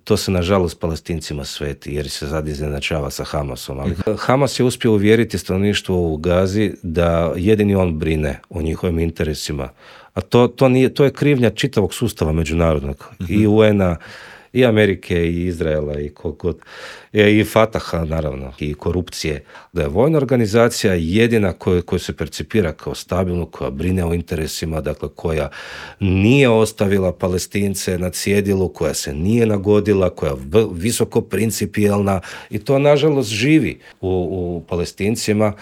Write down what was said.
to se nažalost Palestincima sveti jer se sad izjednačava sa Hamasom. Ali Hamas je uspio uvjeriti stanovništvo u Gazi da jedini on brine o njihovim interesima. A to je krivnja čitavog sustava međunarodnog. I UN-a, i Amerike, i Izraela, i Fataha, naravno, i korupcije. Da je vojna organizacija jedina koju se percipira kao stabilnu, koja brine o interesima, dakle, koja nije ostavila Palestince na cjedilu, koja se nije nagodila, koja je visoko principijelna i to, nažalost, živi u Palestincima.